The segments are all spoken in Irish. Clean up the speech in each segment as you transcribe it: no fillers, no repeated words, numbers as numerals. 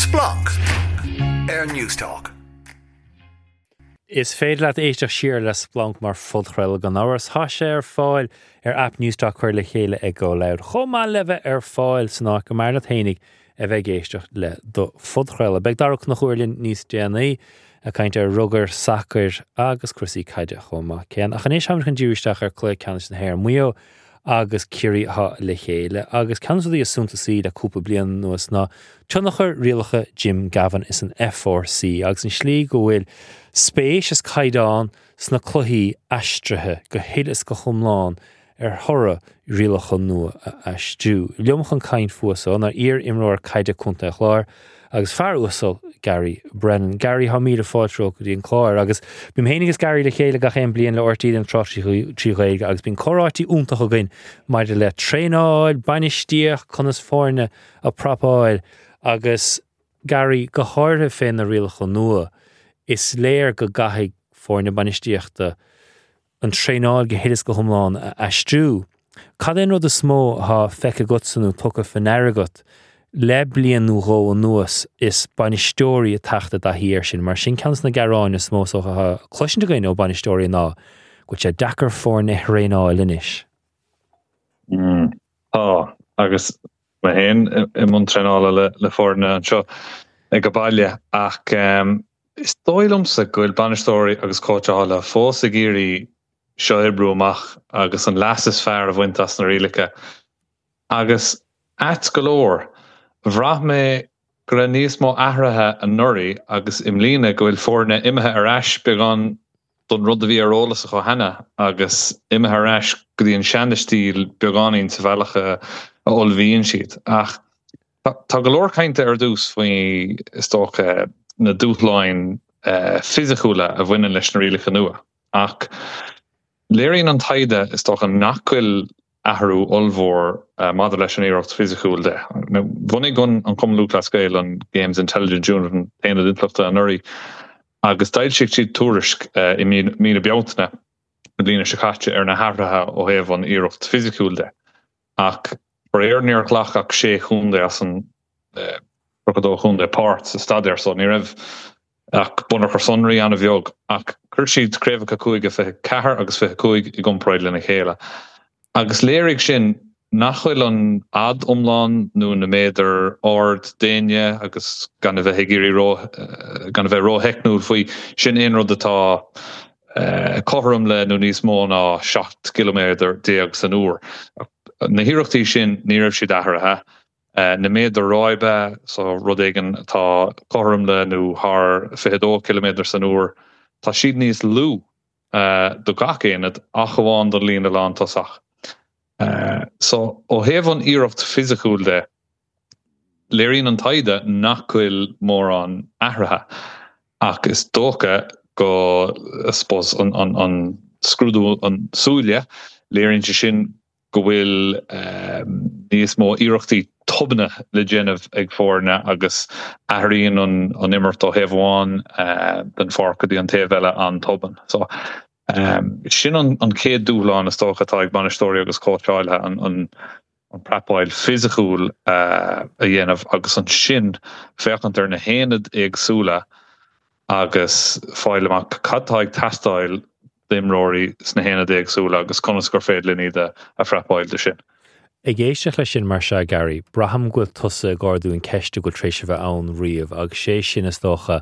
Splanc ar Newstalk. Is féidir leat éisteacht siar le Splanc mar phodchraoladh gan amhras. Tá sé ar fáil ar aip Newstalk curtha le chéile ag Go Loud, chomh maith le bheith ar fáil san áit go mb'fhearr leat fhéinig a bheith ag éisteacht le do phodchraoladh. Beidh Dara Ó Conchúir linn níos déanaí ag caint ar rugar, sacair agus cúrsaí caide chomh maith céanna. Ach anois táimid chun díriú isteach ar Cluiche Ceannais na hÉireann. Maigh Eo agus Ciarraí atá le chéile agus ceann de na rudaí is suntasaí le cúpla bliain anuas ná tionchar rialacha Jim Gavin is an FRC agus an slí go bhfuil spéis is caighdeán sna cluichí aistrithe go huile is go hiomlán ar thoradh rialacha nua a aistriú. Liom chun caint fúthu so ná iar-imreoir caide Contae an Chláir agus fear uasal Gary Brennan. Gary, tá míle fáilte romhat go dtí an clár agus bím féin agus Gary le chéile gach aon bliain le RTÉ don Tráchtaireacht trí Ghaeilge agus bíonn comhráití iontach againn maidir le traenáil, bainistíocht, conas foirne a prapáil agus Gary, go háirithe fé na rialacha nua, is léir go gcaithfidh foirne bainistíochta an traenáil go huile is go hiomlán a aistriú. Cad é an rud is mó atá feicthe agatsa nó tugtha faoi ndeara agat le bliain nó dhó anuas is bainisteoirí ag teacht i dtaithí air sin? Mar sin ceann de na gearáin is mó is dócha atá cloisint againn ó bainisteoirí ná go bhfuil sé deacair foirne a thraenáil anois. Tá, agus mé féin i mbun traenála le foirne anseo ag an baile ach is dóigh liomsa go bhfuil bainisteoirí agus cóitseálaithe fós ag iarraidh seo a oibriú amach agus an leas is fearr a bhaint as na rialacha. Agus ait go leor, bhraith mé go raibh níos mó athraithe anuraidh agus i mbliana go bhfuil foirne imithe ar ais beagán don rud a bhí ar eolas acu cheana agus imithe ar ais go dtí an seana-stíl beagáinín sa bhealach a ullmhaíonn siad. Ach tá go leor cainte ar dtús faoi, is dócha, na dúshláin fisiciúla a bhaineann leis na rialacha nua. Ach léiríonn an taighde, is dócha, nach bhfuil athrú ollmhór maidir leis an iarracht fisiciúil de. Bhunaigh an Cumann Lúthchleas Gael an Games Intelligence Unit, an tAonad Intleachta, anuraidh agus d'fhoilsigh siad tuairisc i mí na Bealtaine na bliana seo caite ar na hathruithe ó thaobh an iarracht fisiciúil de. Ach faraor níor ghlac ach sé chontae as an 32 chontae páirt sa staidéar so ní raibh ach bunachar sonraí an-bheag. Ach chuir siad craobhacha cúige 24 agus 25 i gcomparáid lena chéile. Agus léirigh sin nach bhfuil an fhad iomlán nó na méadair ard d'éinne agus gan a bheith ag iarraidh ró, gan a bheith rótheicniúil faoi, sin aon rud atá cothrom le nó níos mó ná 17 gciliméadar san uair. Na hiarrachtaí sin, ní raibh siad athraithe. Na méadair ráibe, so rud éigin atá cothrom le nó thar 22 ciliméadar san uair, tá siad níos lú. do gach aonad ach amháin don líne lántosach. So, ó thaobh an iarracht fisiciúil de, léiríonn an taighde nach bhfuil mórán athraithe ach is dócha go, I suppose, an an scrúdú an súile, léiríonn sé sin go bhfuil níos mó iarrachtaí tobanna le déanamh ag foirne agus athraíonn an imirt ó thaobh amháin den pháirc go dtí an taobh eile an-tobann. So, sin an chéad dúshlán is dócha atá ag bainisteoirí agus cóitseálaithe, an prapáil fisiciúil a dhéanamh agus ansin féachaint ar na haonaid éagsúla agus fáil amach cad tá ag teastáil d'imreoirí sna haonaid éagsúla agus conas gur féidir linn iad a phrapáil do sin. Ag éisteacht leis sin mar seo, Gary, braithim go bhfuil tusa ag ardú an ceist a bhfuil tar éis a bheith ann riamh agus sé sin, is dócha,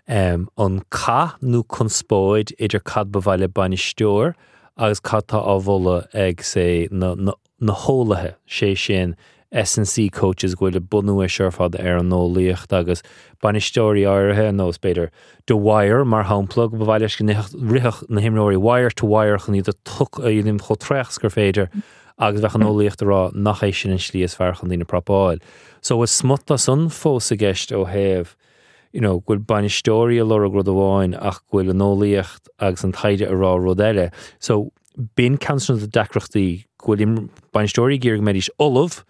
an cath nó conspóid idir cad ba mhaith le bainisteoir agus cad tá á mholadh ag, say, na, na, na heolaithe, sé sin S&C coaches go bhfuil ag bunú é seo ar fad ar an eolaíocht agus bainisteoirí áirithe, ar nós b'fhéidir Dwyer mar shampla, go ba mhaith leis go rithfeadh na himreoirí wire to wire chun iad a dhéanamh chomh traoch is gur féidir agus bheadh an eolaíocht ag rá nach é sin an slí is fearr chun daoine a prapáil. So bhfuil smut de san fós i gceist ó thaobh you know, go bhfuil bainisteoirí ag lorg rud amháin ach go bhfuil an eolaíocht agus an taighde ag rá rud eile. So b'in ceann de na deacrachtaí, go bhfuil bainisteoirí ag iarraidh go mbeidís ullamh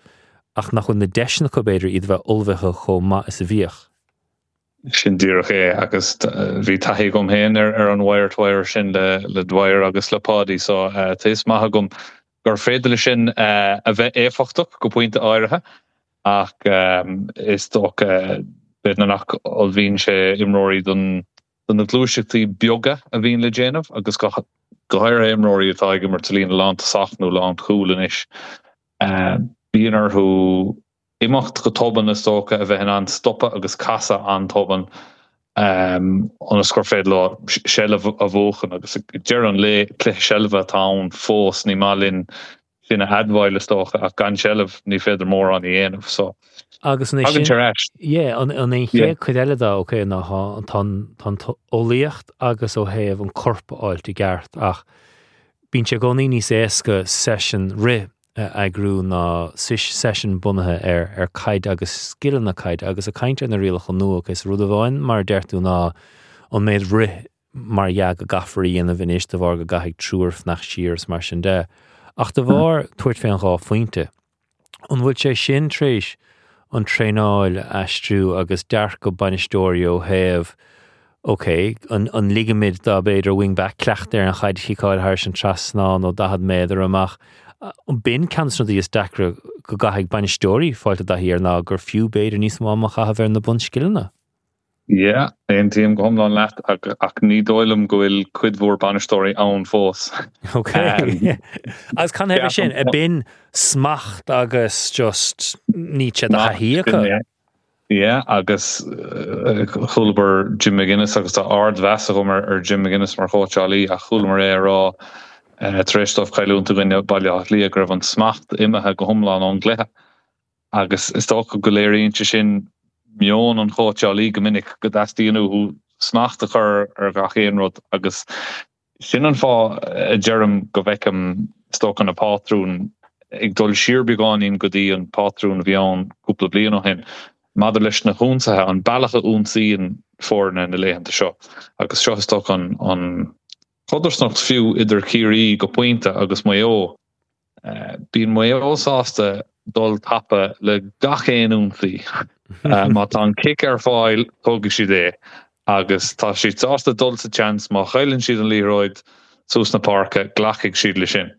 ach nach bhfuil na deiseanna acu, b'fhéidir, iad a bheith ullmhaithe chomh maith is a bhíodh. Sin díreach é agus bhí taithí agam féin ar an wire to wire sin le Dwyer agus le Páidí so tá fhios maith agam gur féidir leis sin a bheith éifeachtach go pointe áirithe ach is dócha. B'fhéidir nach ullmhaíonn sé imreoirí don do na gluaiseachtaí beaga a bhíonn le déanamh agus go háirithe imreoirí atá ag imirt sa líne lántosach nó lánchúil anois. Bíonn orthu imeacht go tobann is dócha, a bheith in ann stopadh agus casadh an-tobann ionas gur féidir leo seilbh a bhuachan agus ag deireadh an lae cluiche seilbhe atá ann fós, ní maith linn sin a admháil is dócha ach gan seilbh ní féidir mórán a dhéanamh so Agus an é tagann sin sé ar ais. yeah an an é an Yeah. chéad chuid eile de ok ná tá tá an tá an t-eolaíocht agus ó thaobh an corp a fháilt i gceart ach bíonn sé i gcónaí níos éasca session rith a eagrú ná session bunaithe ar ar caid agus scileanna caide agus ag caint ar na rialacha nua ok so rud amháin mar a deir tú ná an méid rith mar dhea go gcaithfear a dhéanamh anois de bharr go gcaithfidh triúr fanacht siar is mar sin de. Ach de bharr tabhairt fén dhá phointe, an bhfuil sé sin tar éis an traenáil a aistriú agus dearcadh bainisteoirí ó thaobh ok, an, an ligimid do b'fhéidir wing back cleachtadh ar an chaid a chiceáil thairis an trasnán ó 40 méadar amach. B'in ceann de na rudaí is deacra go gcaithfidh bainisteoirí fáilt i dtaithí air ná gur fiú b'fhéidir níos mó ama a chaitheamh ar na bunscileanna. Yeah, aontaím go hiomlán leat ach ní dóigh liom go bhfuil cuid mhór bainisteoirí ann fós. Ok. Agus canathaobh é sin? Ab in smacht agus just níl sé de thaithí acu? Yeah, agus chualamar Jim McGuinness agus tá ardmheas agam ar Jim McGuinness mar chóitseálaí ach chualamar é ag rá tar éis dóibh cailliúint i gcoinne Baile Átha Cliath go raibh an smacht imithe go hiomlán ón gcluiche. Agus is dócha go léiríonn sé sin meon an chóitseálaí go minic, go dteastaíonn uathu smacht a chur ar gach aon rud agus sin an fáth a deirim go bhfeicim, is dócha, na pátrúin ag dul siar beagáinín go dtí an pátrún a bhí ann cúpla bliain ó shin maidir leis na hionsaithe, an bealach a ionsaíonn foirne na laethanta seo. Agus seo is dócha an chodarsnacht fiú idir Ciarraí go pointe agus Maigh Eo. Bíonn Maigh Eo sásta dul tapa le gach aon ionsaí. Má tá an cic ar fáil, tógfaidh siad é. Agus tá siad sásta dul sa tseans, má chailleann siad an liathróid suas na páirce, glacfaidh siad le sin.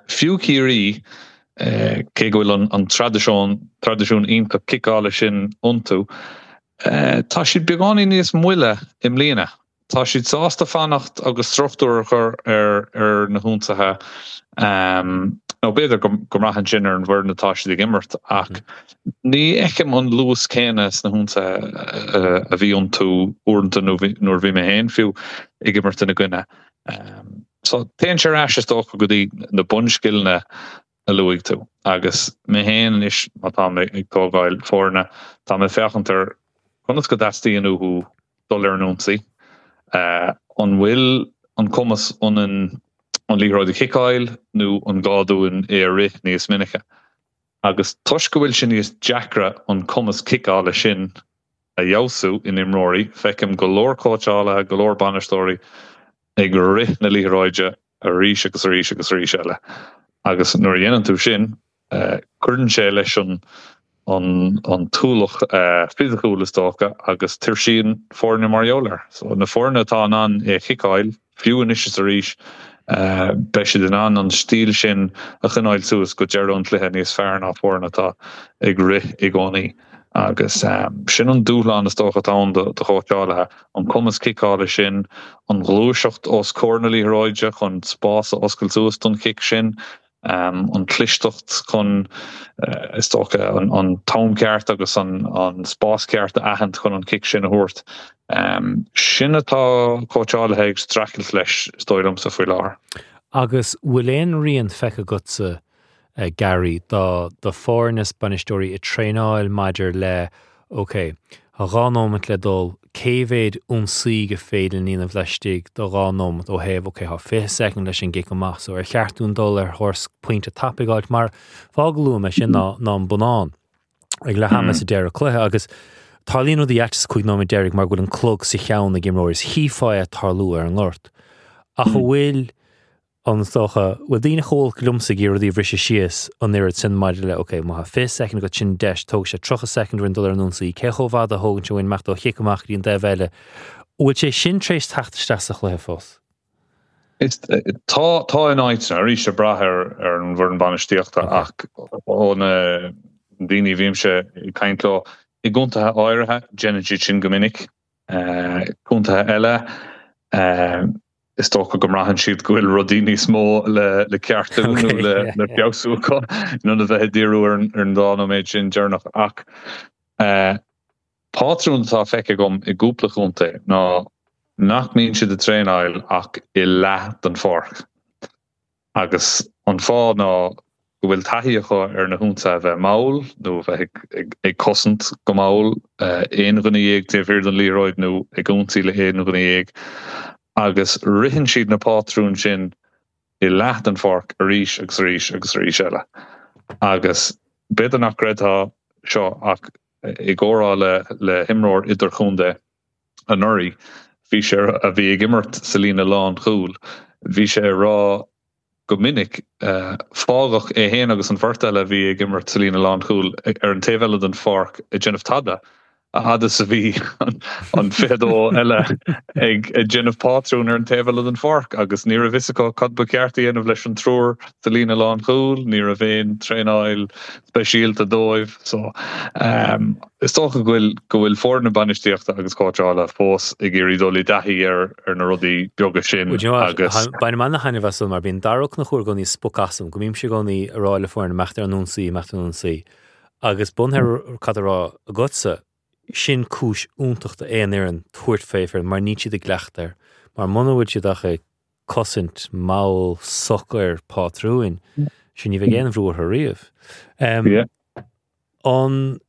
Fiú Ciarraí, cé go bhfuil an traidisiún traidisiún iontach ciceála sin iontu, tá siad beagáinín níos moille i mbliana. Tá siad sásta fanacht agus struchtúr a chur ar na hionsaithe, nó b'fhéidir go mbraitheann sin ar an bhfoireann atá siad ag imirt, ach ní fheicim an luas céanna sna hionsaithe a bhí iontu uaireanta nuair a bhí mé féin fiú ag imirt ina gcoinne. So téann sé ar ais is dócha go dtí na bunscileanna a luaigh tú. Agus mé féin anois, má tá mé ag tógáil foirne, tá mé ag féachaint ar conas go dteastaíonn uathu dul ar an ionsaí. An bhfuil an cumas ionainn an liathróid a chiceáil nó an gá dúinn é a rith níos minice? Agus toisc go bhfuil sé níos deacra an cumas ciceála sin a fheabhsú in imreoirí, feicim go leor cóitseálaithe, go leor bainisteoirí ag rith na liathróide arís agus arís agus arís eile. Agus nuair a dhéanann tú sin, cuireann sé leis an an t-ualach fisiciúil is dócha agus tuirsíonn foirne mar gheall air. So na foirne atá in ann é a chiceáil, fiú anois is arís, beidh siad in ann an stíl sin a choinneáil suas go deireadh an chluiche níos fearr ná foirne atá ag rith i gcónaí. Agus sin an dúshlán is dócha atá ann do chóitseálaithe, an cumas ciceála sin, an ghluaiseacht os comhair na liathróide chun spás a oscailt suas don chic sin, an chlisteacht chun, is dócha, an t-am ceart agus an spás ceart a aithint chun an cic sin a thabhairt. Sin atá cóitseálaithe ag streachailt leis, is dóigh liomsa, faoi láthair. Agus bhfuil aon rian feicthe agatsa Gary, do do foirne is bainisteoirí ag traenáil maidir le ok, tá 2 nóimeat le dul, cé mhéid ionsaí gur féidir linn a dhéanamh laistigh de 2 nóimeat ó thaobh ok, tá 20 soicind leis an gcic amach so ar cheart dúinn dul ar thóir pointe tapaidh a fháilt mar fáth go luaim é sin ná ná an bonnán ag leath ama sa deireadh cluiche agus tarlaíonn rudaí aite sa 5 nóiméad deiridh mar go bhfuil an clog sa cheann ag imreoirí is chífeá é tarlú ar an ngort. Ach an bhfuil An is dócha, bhfuil daoine chomh holc liomsa ag iarraidh rudaí a bhriseadh síos an oiread sin maidir le, ok, má tá 20 soicind agat, sin deis, tógfaidh sé 30 soicind orainn dul ar an ionsaí, cé chomh fada a thógann sé uainn imeacht ó chic amach go dtí an taobh eile? Bhfuil sé sin tar éis teacht isteach sa chluiche fós? Is, tá, tá in áiteanna, arís ag brath ar, ar an bhfoireann bainistíochta ach ó na daoine a bhímse ag caint leo, I gcontaetha áirithe, déanann siad sin go minic. Contaetha eile, is dócha go mbraitheann siad go bhfuil rudaí níos mó le ceartú nó le feabhsú acu in ionad a bheith ag díriú ar an dá nóiméad sin deireanach. Ach pátrún atá feicthe agam i gcúpla contae ná nach mbíonn siad ag traenáil ach i leath den pháirc. Agus an fáth ná go bhfuil taithí acu ar na hionsaithe a bheith mall nó a bheith ag cosaint go mall, aon dhuine dhéag taobh thiar den liathróid nó ag ionsaí le haon dhuine dhéag. Agus ritheann siad na pátrúin sin i leath den pháirc arís agus arís agus arís eile. Agus b'fhéidir nach gcreidfeá seo ach i gcomhrá le himreoir idirchontae, anuraidh, bhí sé, a bhí ag imirt sa líne lánchúil, bhí sé ag rá go minic, fágadh é féin agus an bheirt eile a bhí ag imirt sa líne lánchúil ar an taobh eile den pháirc ag déanamh tada, a fhad is a bhí an 22 eile ag déanamh pátrún ar an taobh eile den pháirc agus ní raibh fhios acu cad ba cheart a dhéanamh leis an triúr sa líne lánchúil, ní raibh aon traenáil speisialta dóibh. So, is dócha go bhfuil go bhfuil foirne bainistíochta agus cóitseála fós ag iarraidh dul i dtaithí ar ar na rudaí beaga sin Well, do you know what? agus. Bainim ana-thaitneamh as san mar bíonn Dara Ó Conchúir i gcónaí ag spochadh asam, go mbímse i gcónaí ag rá le foirne imeacht ar an ionsaí, imeacht ar an ionsaí. Agus bunaithe ar cad á rá agatsa, sin cúis iontach d'aon fhoireann tabhairt faoi foireann mar níl siad i gcleachtadh air. Mar muna bhfuil siad ach ag cosaint mall socair pátrúin, sin ní bheidh aon bhrú orthu riamh. An,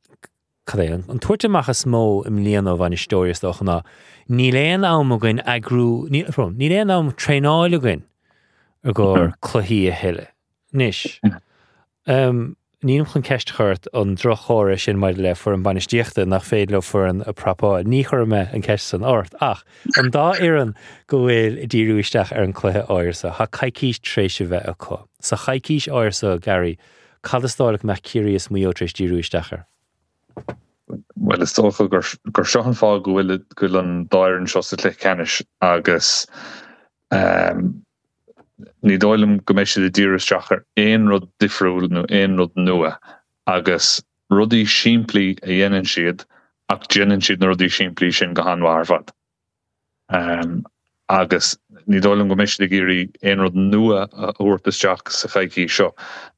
cad é, an tabhairt amach is mó i mbliana ó bhainisteoirí is dócha ná níl aon am againn eagrú, níl, níl aon am traenáil againn i gcomhair cluichí a thuilleadh. Anois, nílim chun ceist a chur ort an droch-chomhartha sin maidir le foireann bainistíochta nach féidir leo foireann a prapáil. Ní chuirfidh mé an ceist san ort. Ach an dá fhoireann go bhfuil ag díriú isteach ar an cluiche áirithe seo, tá coicís tar éis a bheith acu. Sa choicís áirithe seo, Gary, cad is dóigh leat go mbeadh Ciarraí is Maigh Eo tar éis díriú isteach air? Bhuel, is dócha gur gur seo an fáth go bhfuil go bhfuil an dá fhoireann seo sa chluiche ceannais agus Ní dóigh liom go mbeidh siad ag díriú isteach ar aon rud difriúil nó aon rud nua agus rudaí simplí a dhéanann siad ach déanann siad na rudaí simplí sin go han-mhaith ar fad. Agus ní dóigh liom go mbeidh siad ag iarraidh aon rud nua a thabhairt isteach sa choicís seo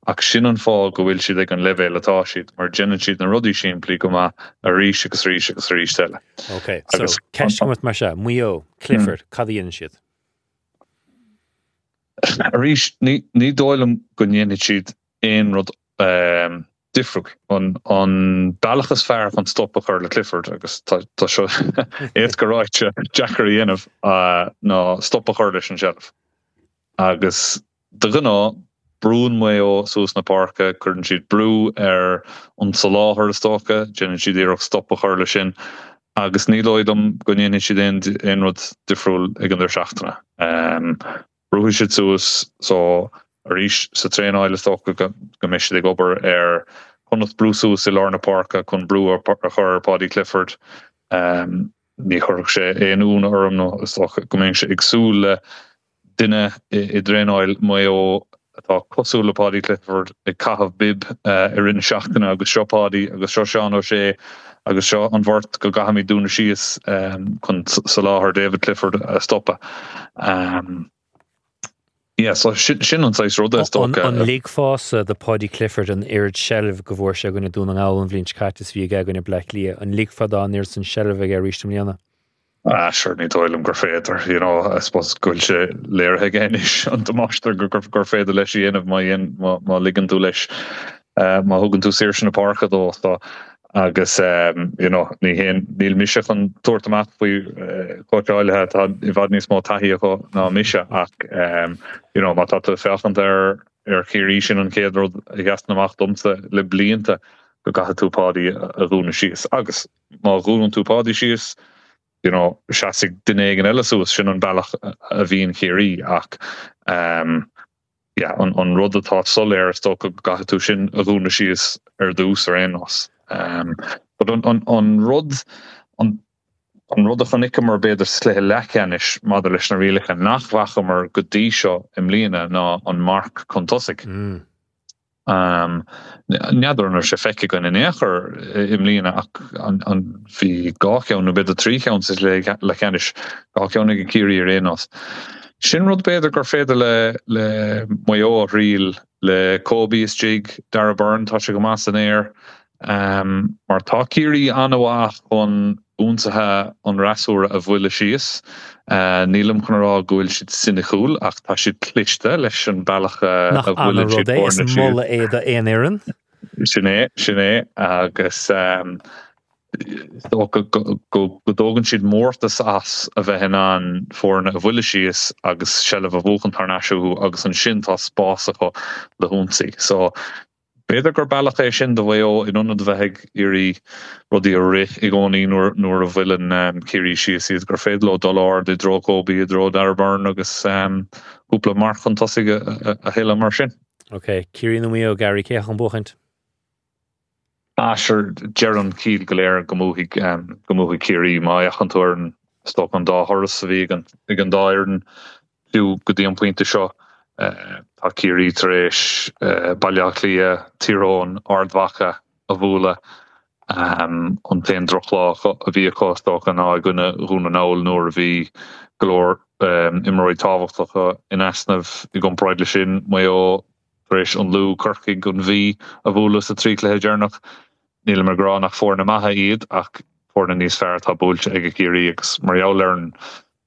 ach sin an fáth go bhfuil siad ag an leibhéal atá siad mar déanann siad na rudaí simplí go maith arís agus arís agus arís eile. Ok, so ceist agam ort mar seo, Maigh Eo, Clifford, cad a dhéanann siad? Arís, ní dóigh liom go ndéanfaidh siad aon rud difriúil. An bealach is fearr chun stop a chur le Clifford, agus tá seo éasca ráite, deacair a dhéanamh, ná stop a chur leis an tseilbh. Agus de ghnáth, brúnn Maigh Eo suas na páirce, cuireann siad brú ar an soláthar is dócha, déanann siad iarracht stop a chur leis sin. Agus ní dóigh liom go ndéanfaidh siad aon aon rud difriúil ag an deireadh seachtaine. Brúfaidh siad suas so arís sa traenáil is dócha go mbeidh siad ag obair ar conas brú suas i lár na páirce chun brú a chur ar Paudie Clifford. Ní chuirfeadh sé aon ionadh orm nó is dócha go mbeinnse ag súil le duine i dtraenáil Mhaigh Eo atá cosúil le Paudie Clifford ag caitheamh bib i rith na seachtaine agus seo Paudie agus seo Seán O'Shea agus seo an bheirt go gcaithfimid dúnadh síos chun soláthar David Clifford a stopadh. Yeah, so sin an saghas ruda is dócha. An ligfeása do Paudie Clifford an oiread seilbh go bhfuair sé i gcoinne Dún na nGall an bhliain seo caite is bhí aige i gcoinne Bleá Cliath, an ligfeá dó an oiread san seilbh aige arís i mbliana? Ah sure, ní dóigh liom gur féidir, you know, I suppose go bhfuil sé léirithe aige anois an damáiste gur gur féidir leis a dhéanamh má dhéan má má ligeann tú leis má thugann tú saoirse na páirce dó so agus you know ní haon níl mise chun tabhairt amach faoi chóitseálaithe atá i bhfad níos mó taithí acu ná mise ach you know má tá tú ag féachaint ar ar Chiarraí sin an chéad rud a sheasann amach domsa le blianta go gcaithfidh tú Paudie a dhúnadh síos agus Má dhúnann tú Paudie síos, you know, seasfaidh duine éigin eile suas, sin an bealach a bhíonn Ciarraí ach ehm yeah, an, an rud atá soiléir is dócha go gcaithfidh tú sin a dhúnadh síos ar dtús ar aon nós. Ehm but an, an, an rud, an, an rud a chonaiceamar b'fhéidir sa chluiche leathcheannais maidir leis na rialacha nach bhfacamar go dtí seo i mbliana ná an marc chun tosaigh. Mm. N'fheadar an raibh sé feicthe againn in aon chor i mbliana ach bhí dhá cheann nó b'fhéidir trí cheann sa chluiche leathcheannais, dhá cheann ag Ciarraí ar aon nós. Sin rud b'fhéidir gur féidir le le Maigh Eo a thriail le Kobe istigh, Darragh Beirne, tá sé go maith san aer. Mar tá Ciarraí an-mhaith chun ionsaithe an fhreasúra a bhualadh síos. Nílim chun a rá go bhfuil siad soiniciúil ach tá siad cliste leis an bealach a bhuaileann siad foirne síos. Nach annamh rud é, is moladh é d'aon fhoireann. Sin é, sin é. Agus is dócha go dtógann siad mórtas as a bheith in ann foirne a bhualadh síos agus seilbh a bhuachan thar n-ais uathu agus ansin tá spás acu le hionsaí. So B'fhéidir gur bealach é sin do Mhaigh Eo in ionad a bheith ag iarraidh rudaí a rith i gcónaí nuair a bhuaileann Ciarraí síos iad, gur féidir leo dul ard i dtreo Kobe, i dtreo Darragh Beirne agus cúpla marc chun tosaigh a thuilleadh mar sin. Ok, Ciarraí nó Maigh Eo, Gary, cé chun buachaint? Ah sure, deir an chiall go léir go mbuafaidh go mbuafaidh Ciarraí má fhéachann tú ar an, is dócha an dá thuras a bhí ag an ag an dá fhoireann. Fiú go dtí an pointe seo, tá Ciarraí tar éis Baile Átha Cliath, Tír Eoghain, Ard Mhacha a bhualadh. An t-aon drochlá a bhí acu, is dócha, ná i gcoinne Dhún na nGall nuair a bhí go leor imreoirí tábhachtacha in easnamh. I gcomparáid leis sin, Maigh Eo tar éis an Lú, Corcaigh, an Mhí a bhualadh sa trí chluiche deireanach. Nílim ag rá nach foirne maithe iad ach foirne níos fearr atá buailte ag Ciarraí agus mar gheall ar an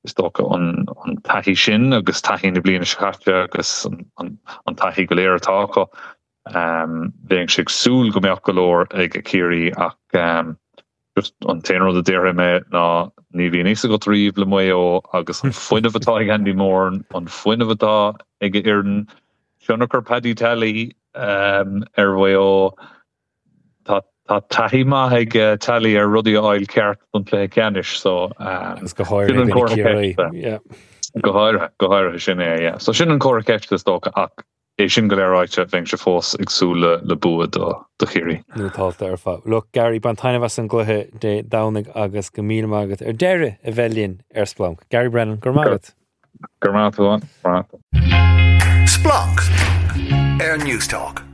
is dócha, an taithí sin agus taithí na bliana seo caite agus an taithí go léir atá acu. Bheinnse ag súil go mbeadh go leor ag Ciarraí ach just an t-aon rud a déarfaidh mé ná ní bhíonn fhios agat riamh le Maigh Eo agus an fuinneamh atá ag Andy Moran, an fuinneamh atá ag a fhoireann, tionchar Paddy Tally ar Mhaigh Eo. Tá taithí maith ag Tally ar rudaí a fháil ceart don chluiche ceannais so Agus go háirithe sin an comhartha ceiste. Go háirithe, go háirithe sin é, yeah. So sin an comhartha ceiste is dócha ach é sin go léir ráite bheinnse fós ag súil le le bua do do Chiarraí. Nótálta ar fad. Look Gary, bain taitneamh as an gcluiche Dé Domhnaigh agus go míle maith agat ar deireadh a bheith linn ar Splanc. Gary Brennan, go raibh maith agat. Go raibh maith agat. Splanc ar Newstalk.